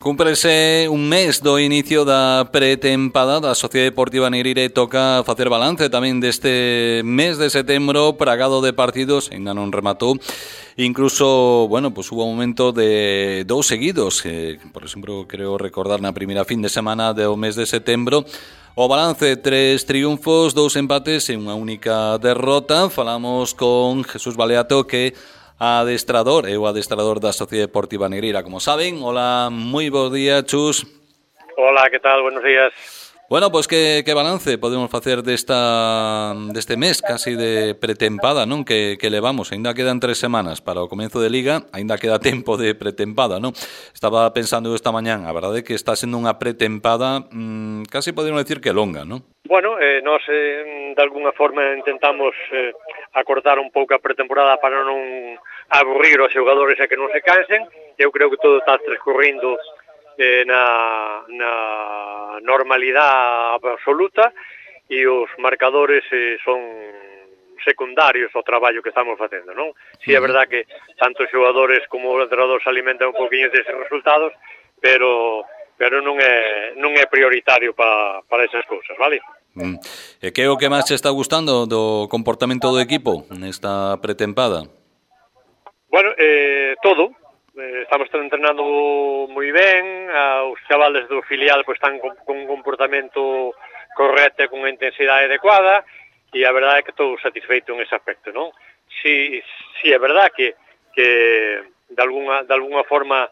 Cúmprese un mes do inicio da pretempada da Sociedade Deportiva Negreira e toca facer balance tamén deste mes de setembro plagado de partidos, ainda non rematou. Incluso, hubo un momento de dous seguidos, por exemplo, creo recordar na primeira fin de semana do mes de setembro, o balance, 3 triunfos, 2 empates e unha única derrota. Falamos con Jesús Baleato, que adestrador, o adestrador da Sociedade Deportiva Negreira, como saben. Hola, moi bons días, Chus. Hola, que tal? Buenos días. Bueno, pois que balance podemos facer deste mes casi de pretempada, non? Que levamos, aínda quedan 3 semanas para o comezo de Liga, aínda queda tempo de pretempada, non? Estaba pensando esta mañán, a verdade é que está sendo unha pretempada casi podemos decir que longa, non? Bueno, nós de alguna forma intentamos acortar un pouco a pretemporada para non aburrir os xogadores e que non se cansen. Eu creo que todo está transcorrindo na normalidade absoluta e os marcadores son secundarios ao traballo que estamos facendo, non? Si é verdad que tanto os xogadores como o entrenador se alimentan un poquinho deses resultados, pero non é prioritario para esas cousas, vale? E que é o que máis te está gustando do comportamento do equipo nesta pretempada? Bueno, todo. Estamos entrenando moi ben, os chavales do filial pois están con un comportamento correcto e con unha intensidade adecuada, e a verdade é que estou satisfeito en ese aspecto, non? Si é verdad que de alguna forma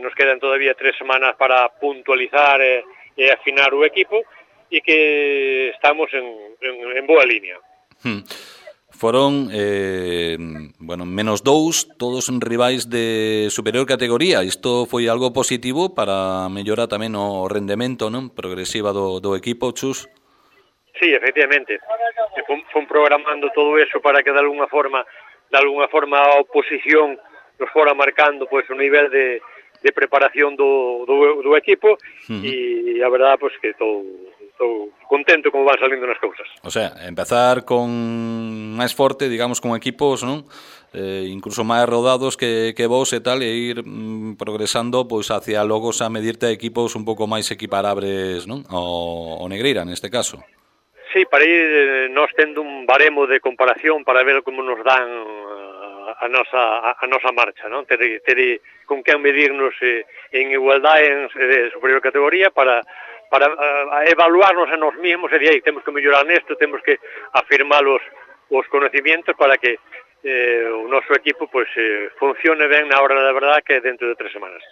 nos quedan todavía 3 semanas para puntualizar e afinar o equipo, e que estamos en boa línea. Foron, menos 2, todos rivais de superior categoría. Isto foi algo positivo para mellorar tamén o rendemento, non? Progresiva do equipo, Chus? Sí, efectivamente. Fon programando todo eso para que de alguna forma a oposición nos fora marcando pois o nivel de preparación do equipo, e a verdade pois que estou contento como van salindo nas cousas. O sea, empezar con máis forte, digamos, con equipos, non? Incluso máis rodados que vos e tal, e ir progresando pois hacia logo a medirte a equipos un pouco máis equiparables, non? O Negreira, neste caso. Sí, para ir nós tendo un baremo de comparación para ver como nos dan a nosa marcha, non? Ter con quen medirnos en igualdade en superior categoría para evaluarnos a nós mesmos e de aí temos que mellorar nesto, temos que afirmar os conocimientos para que o noso equipo pois funcione ben na hora da verdade, que é dentro de 3 semanas.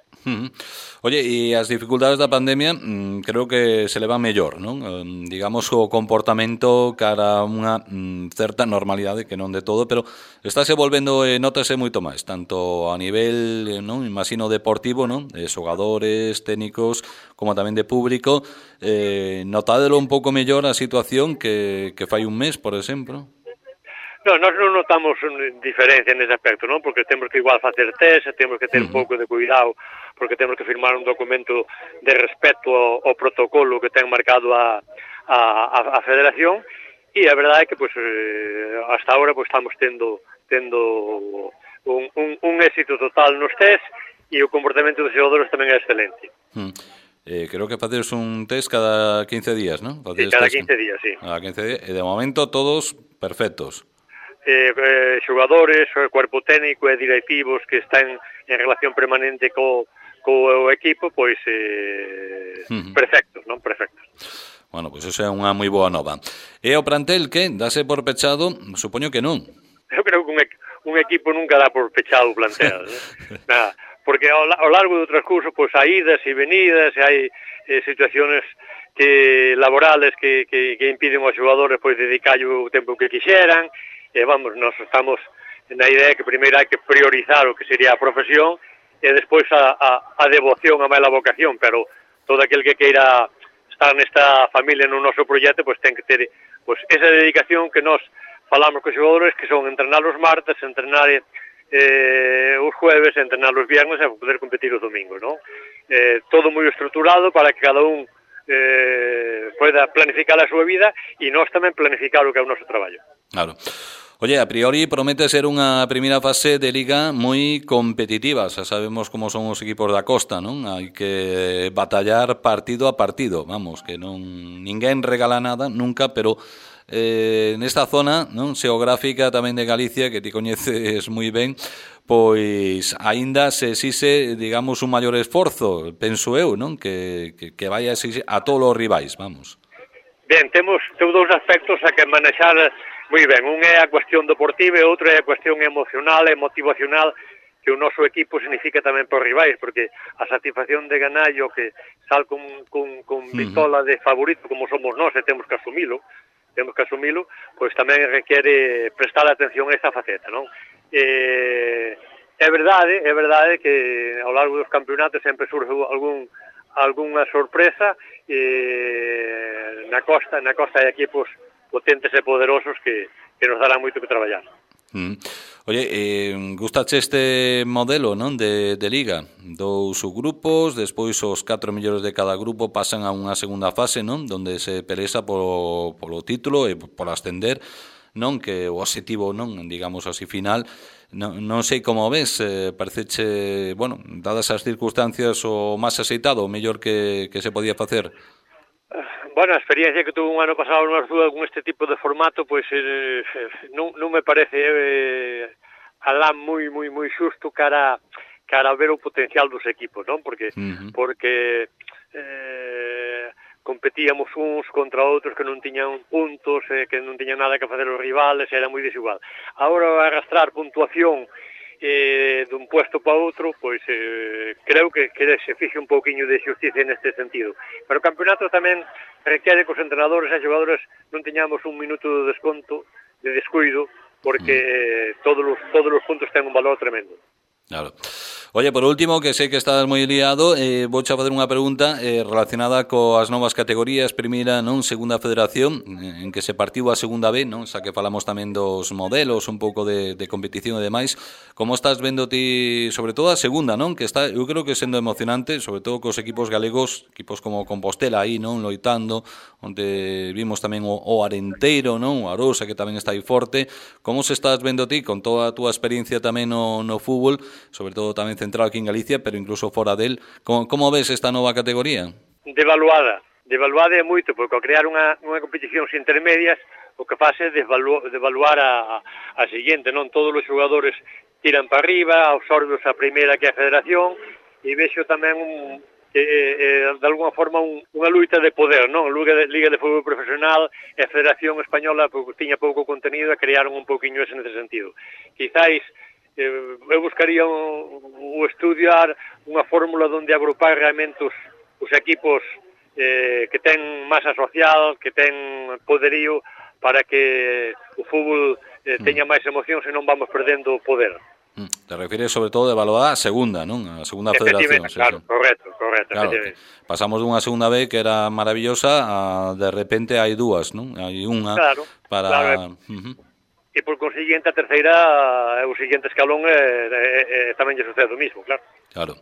Oye, e as dificultades da pandemia creo que se leva mellor, non? Digamos, o comportamento cara a unha certa normalidade, que non de todo, pero estáse volvendo, notase moito máis, tanto a nivel, non, imagino, deportivo, non? De xogadores, técnicos, como tamén de público. Notádelo un pouco mellor a situación que fai un mes, por exemplo? Non, nós non notamos diferencia nese aspecto, non? Porque temos que igual facer test, temos que ter un pouco de cuidado, porque temos que firmar un documento de respeto ao protocolo que ten marcado a Federación, e a verdade é que, hasta agora, estamos tendo un éxito total nos test, e o comportamento dos xogadores tamén é excelente. Creo que facedes un test cada 15 días, non? Sí, cada 15 días, sí. Cada 15 días, e de momento todos perfectos. Xogadores, o cuerpo técnico e directivos que están en relación permanente co equipo, pois perfectos, non? Perfectos. Bueno, pois eso é unha moi boa nova. E o plantel, que? Dase por pechado? Supoño que non. Eu creo que un equipo nunca dá por pechado o plantel, nada, porque ao largo do transcurso pois hai idas e venidas, e hai situaciones laborales que impiden aos xogadores pois dedicarlle o tempo que quixeran. Nós estamos na idea que primeiro hai que priorizar o que sería a profesión e despois a devoción, a mala vocación, pero todo aquel que queira estar nesta familia no noso proxecto pois ten que ter esa dedicación que nós falamos cos xogadores, que son entrenar os martes, entrenar os jueves, entrenar os viernes e poder competir os domingos, non? Todo moi estruturado para que cada un poida planificar a súa vida e nós tamén planificar o que é o noso traballo. Claro. Oye, a priori promete ser unha primeira fase de Liga moi competitiva. Xa sabemos como son os equipos da costa, non? Hai que batallar partido a partido. Vamos, que non ninguén regala nada nunca, pero nesta zona, non, xeográfica tamén de Galicia, que ti coñeces moi ben, pois aínda se exixe, digamos, un maior esforzo, penso eu, non? Que vai a exigir a todos os rivais, vamos. Ben, temos dous aspectos a que manexar moi ben. Un é a cuestión deportiva e outro é a cuestión emocional e motivacional que o noso equipo significa tamén por rivais, porque a satisfacción de ganallo que sal con vitola de favorito como somos nós e temos que asumilo, pois tamén requiere prestar atención a esa faceta, non? É verdade que ao largo dos campeonatos sempre surge algunha sorpresa na costa hai equipos potentes e poderosos que nos darán moito que traballar. Oye, gustache este modelo, non, de Liga? 2 subgrupos, despois os 4 mellores de cada grupo pasan a unha segunda fase, non, donde se peleza polo título e por ascender, non, que o obxectivo, non, digamos así, final. Non sei como ves, pareceche, bueno, dadas as circunstancias, o máis aceitado, o mellor que se podía facer? Bueno, a experiencia que tuve un ano pasado no Arzúa con este tipo de formato, pois non me parece alá moi xusto cara a ver o potencial dos equipos, non? Porque competíamos uns contra outros que non tiñan puntos, que non tiñan nada que facer os rivales, era moi desigual. Agora arrastrar puntuación dun puesto para outro, pois creo que se fixe un pouquiño de xusticia neste sentido. Pero o campeonato tamén requiere que os entrenadores e xogadores non teñamos un minuto de desconto, de descuido, porque todos os puntos ten un valor tremendo. Claro. Oye, por último, que sei que estás moi liado, vouche a facer unha pregunta relacionada coas novas categorías, primeira, non, segunda federación, en que se partiu a segunda B, non, xa que falamos tamén dos modelos, un pouco de competición e demais. Como estás vendo ti, sobre todo a segunda, non, que está, eu creo que sendo emocionante, sobre todo cos equipos galegos, equipos como Compostela aí, non, loitando, onde vimos tamén o Arenteiro, non, o Arosa, que tamén está aí forte. Como se estás vendo ti, con toda a túa experiencia tamén no fútbol, sobre todo tamén centrado aquí en Galicia, pero incluso fora del, como ves esta nova categoría? Devaluada é moito, porque ao crear unha competición intermedias, o que faz é devaluar a seguinte, non? Todos os xogadores tiran para arriba, absorbeos a primeira que é a federación, e vexo tamén de alguna forma unha luita de poder, non? Liga de Fútbol Profesional e a Federación Española tiña pouco contenido e crearon un pouquiño ese nese sentido. Quizáis eu buscaría o estudiar unha fórmula onde agrupar realmente os equipos que ten masa social, que ten poderío, para que o fútbol teña máis emoción, se non vamos perdendo o poder. Te refires sobre todo de evaluar a segunda, non? A segunda federación. Claro, correcto. Claro, pasamos dunha segunda B que era maravillosa a de repente hai dúas, non? Hai unha para... E por consiguiente a terceira, o siguiente escalón tamén lle sucede o mismo, claro. Claro.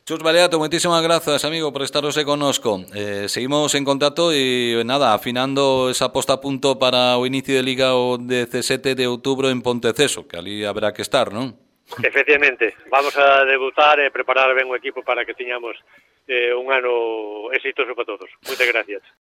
Chus Baleato, moitísimas grazas, amigo, por estar hoxe connosco. Seguimos en contacto e nada, afinando esa posta a punto para o inicio de Liga o 17 de outubro en Ponteceso, que ali habrá que estar, non? Efectivamente, vamos a debutar e preparar ben o equipo para que teñamos un ano exitoso para todos. Moitas gracias.